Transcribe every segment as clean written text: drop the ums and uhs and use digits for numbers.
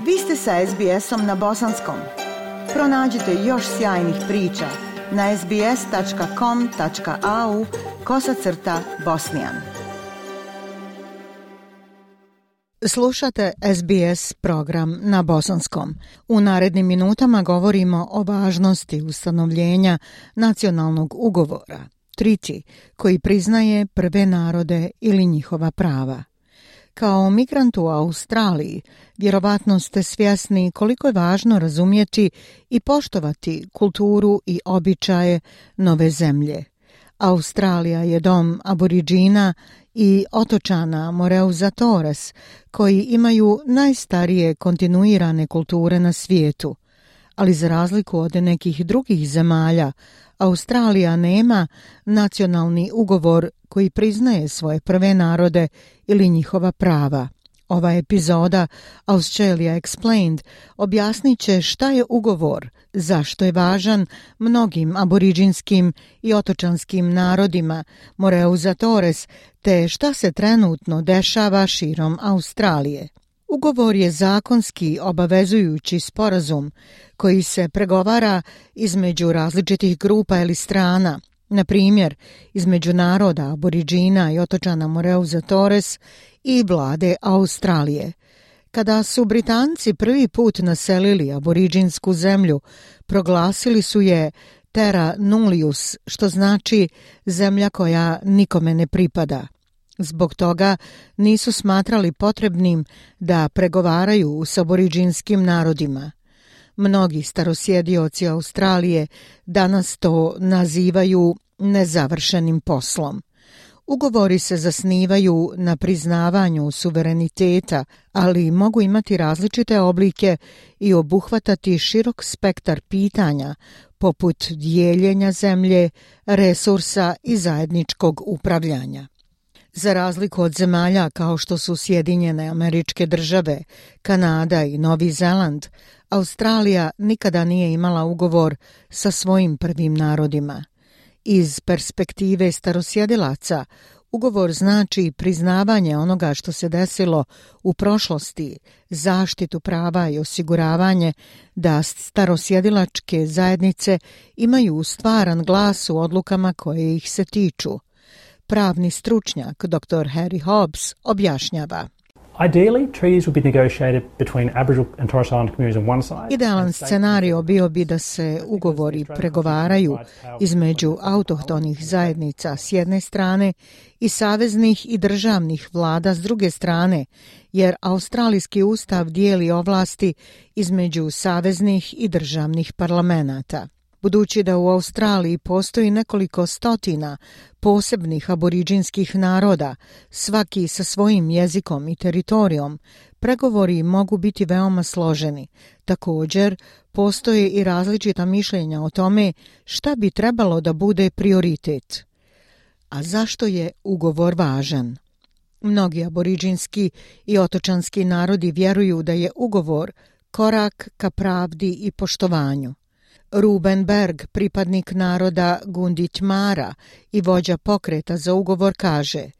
Vi ste sa SBS-om na bosanskom. Pronađite još sjajnih priča na sbs.com.au/bosnijan. Slušate SBS program na bosanskom. U narednim minutama govorimo o važnosti ustanovljenja nacionalnog ugovora, Treaty, koji priznaje prve narode ili njihova prava. Kao migrant u Australiji, vjerovatno ste svjesni koliko je važno razumjeti i poštovati kulturu i običaje nove zemlje. Australija je dom Aboriđina i otočana Moreuza Torres, koji imaju najstarije kontinuirane kulture na svijetu. Ali za razliku od nekih drugih zemalja, Australija nema nacionalni ugovor koji priznaje svoje prve narode ili njihova prava. Ova epizoda Australia Explained objasnit će šta je ugovor, zašto je važan mnogim aboriđinskim i otočanskim narodima Moreuza Torres, te šta se trenutno dešava širom Australije. Ugovor je zakonski obavezujući sporazum koji se pregovara između različitih grupa ili strana, na primjer između naroda Aboriđina i otočana Moreuza Torres i vlade Australije. Kada su Britanci prvi put naselili aboriđinsku zemlju, proglasili su je Terra Nullius, što znači zemlja koja nikome ne pripada. Zbog toga nisu smatrali potrebnim da pregovaraju s aboriđinskim narodima. Mnogi starosjedioci Australije danas to nazivaju nezavršenim poslom. Ugovori se zasnivaju na priznavanju suvereniteta, ali mogu imati različite oblike i obuhvatati širok spektar pitanja, poput dijeljenja zemlje, resursa i zajedničkog upravljanja. Za razliku od zemalja kao što su Sjedinjene Američke Države, Kanada i Novi Zeland, Australija nikada nije imala ugovor sa svojim prvim narodima. Iz perspektive starosjedilaca, ugovor znači priznavanje onoga što se desilo u prošlosti, zaštitu prava i osiguravanje da starosjedilačke zajednice imaju stvaran glas u odlukama koje ih se tiču. Pravni stručnjak dr. Harry Hobbs objašnjava. Ideally, treaties would be negotiated between Aboriginal and Torres Strait Islander communities on one side. Idealan scenario bio bi da se ugovori pregovaraju između autohtonih zajednica s jedne strane i saveznih i državnih vlada s druge strane, jer australijski ustav dijeli ovlasti između saveznih i državnih parlamenata. Budući da u Australiji postoji nekoliko stotina posebnih aboriđinskih naroda, svaki sa svojim jezikom i teritorijom, pregovori mogu biti veoma složeni. Također, postoje i različita mišljenja o tome šta bi trebalo da bude prioritet. A zašto je ugovor važan? Mnogi aboriđinski i otočanski narodi vjeruju da je ugovor korak ka pravdi i poštovanju. Ruben Berg, pripadnik naroda Gunditj Mara i vođa pokreta za ugovor, kaže: I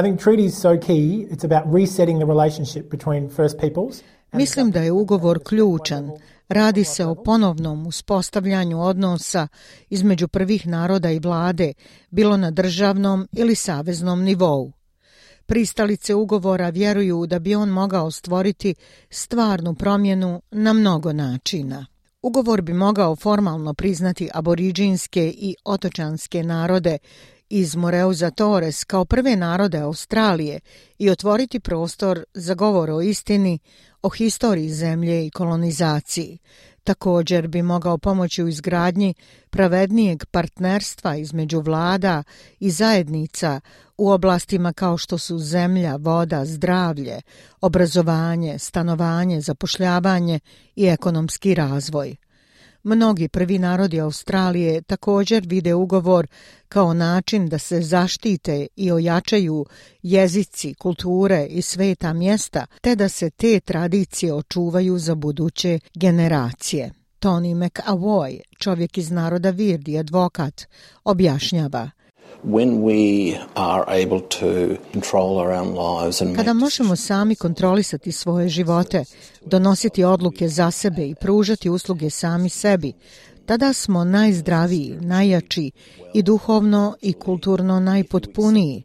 think treaty is so key. It's about resetting the relationship between First Peoples. Mislim da je ugovor ključan. Radi se o ponovnom uspostavljanju odnosa između prvih naroda i vlade, bilo na državnom ili saveznom nivou. Pristalice ugovora vjeruju da bi on mogao stvoriti stvarnu promjenu na mnogo načina. Ugovor bi mogao formalno priznati aboriđinske i otočanske narode iz Moreuza Torres kao prve narode Australije i otvoriti prostor za govor o istini, o historiji zemlje i kolonizaciji. Također bi mogao pomoći u izgradnji pravednijeg partnerstva između vlada i zajednica u oblastima kao što su zemlja, voda, zdravlje, obrazovanje, stanovanje, zapošljavanje i ekonomski razvoj. Mnogi prvi narodi Australije također vide ugovor kao način da se zaštite i ojačaju jezici, kulture i sveta mjesta, te da se te tradicije očuvaju za buduće generacije. Tony McAvoy, čovjek iz naroda Virdi, advokat, objašnjava. When we are able to control our own lives and Kada možemo sami kontrolisati svoje živote, donositi odluke za sebe i pružati usluge sami sebi, tada smo najzdraviji, najjači i duhovno i kulturno najpotpuniji.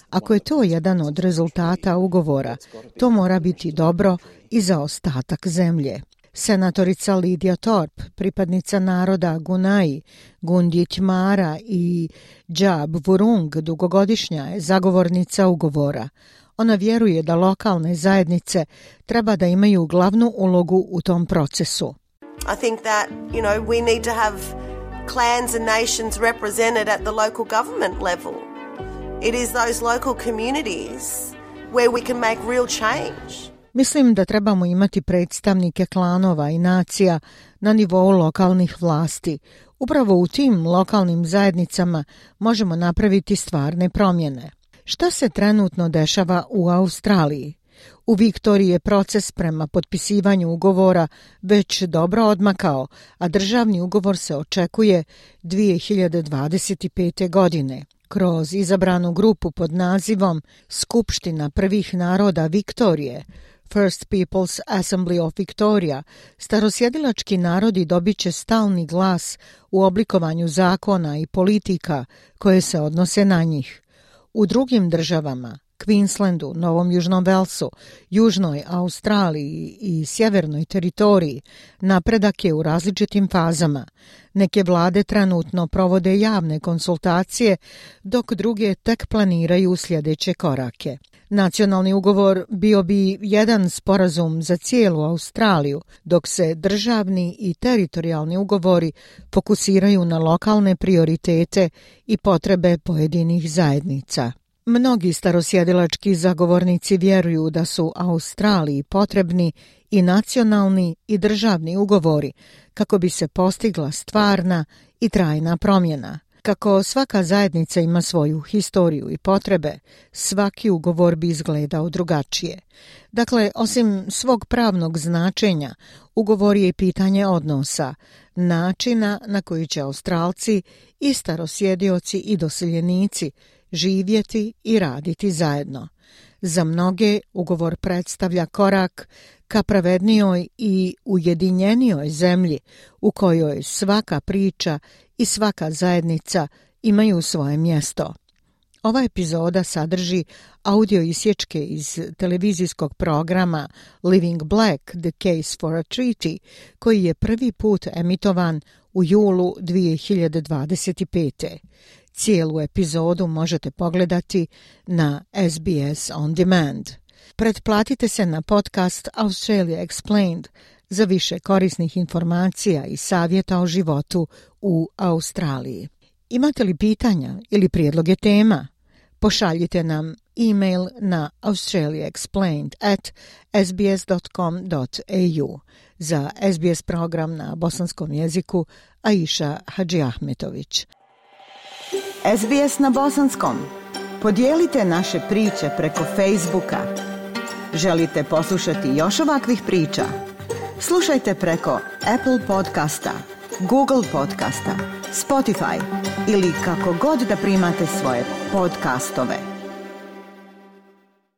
Ako je to jedan od rezultata ugovora, to mora biti dobro i za ostatak zemlje. Senatorica Lidija Thorpe, pripadnica naroda Gunai, Gundit Mara i Džab Vurung, dugogodišnja je zagovornica ugovora. Ona vjeruje da lokalne zajednice treba da imaju glavnu ulogu u tom procesu. I think that, we need to have clans and nations represented at the local government level. It is those local communities where we can make real change. Mislim da trebamo imati predstavnike klanova i nacija na nivou lokalnih vlasti. Upravo u tim lokalnim zajednicama možemo napraviti stvarne promjene. Šta se trenutno dešava u Australiji? U Viktoriji je proces prema potpisivanju ugovora već dobro odmakao, a državni ugovor se očekuje 2025. godine. Kroz izabranu grupu pod nazivom Skupština prvih naroda Viktorije, First People's Assembly of Victoria, starosjedilački narodi dobit će stalni glas u oblikovanju zakona i politika koje se odnose na njih. U drugim državama, Queenslandu, Novom Južnom Velsu, Južnoj Australiji i Sjevernoj teritoriji, napredak je u različitim fazama. Neke vlade trenutno provode javne konsultacije, dok druge tek planiraju sljedeće korake. Nacionalni ugovor bio bi jedan sporazum za cijelu Australiju, dok se državni i teritorijalni ugovori fokusiraju na lokalne prioritete i potrebe pojedinih zajednica. Mnogi starosjedilački zagovornici vjeruju da su Australiji potrebni i nacionalni i državni ugovori kako bi se postigla stvarna i trajna promjena. Kako svaka zajednica ima svoju historiju i potrebe, svaki ugovor bi izgledao drugačije. Dakle, osim svog pravnog značenja, ugovor je pitanje odnosa, načina na koji će Australci i starosjedioci i doseljenici živjeti i raditi zajedno. Za mnoge ugovor predstavlja korak ka pravednijoj i ujedinjenijoj zemlji u kojoj svaka priča i svaka zajednica imaju svoje mjesto. Ova epizoda sadrži audio isječke iz televizijskog programa Living Black, The Case for a Treaty, koji je prvi put emitovan u julu 2025. Cijelu epizodu možete pogledati na SBS On Demand. Pretplatite se na podcast Australia Explained za više korisnih informacija i savjeta o životu u Australiji. Imate li pitanja ili prijedloge tema? Pošaljite nam e-mail na australiaexplained@sbs.com.au. Za SBS program na bosanskom jeziku Aisha Hadžiahmetović. SBS na bosanskom. Podijelite naše priče preko Facebooka. Želite poslušati još ovakvih priča? Slušajte preko Apple podcasta, Google podcasta, Spotify ili kako god da primate svoje podcastove.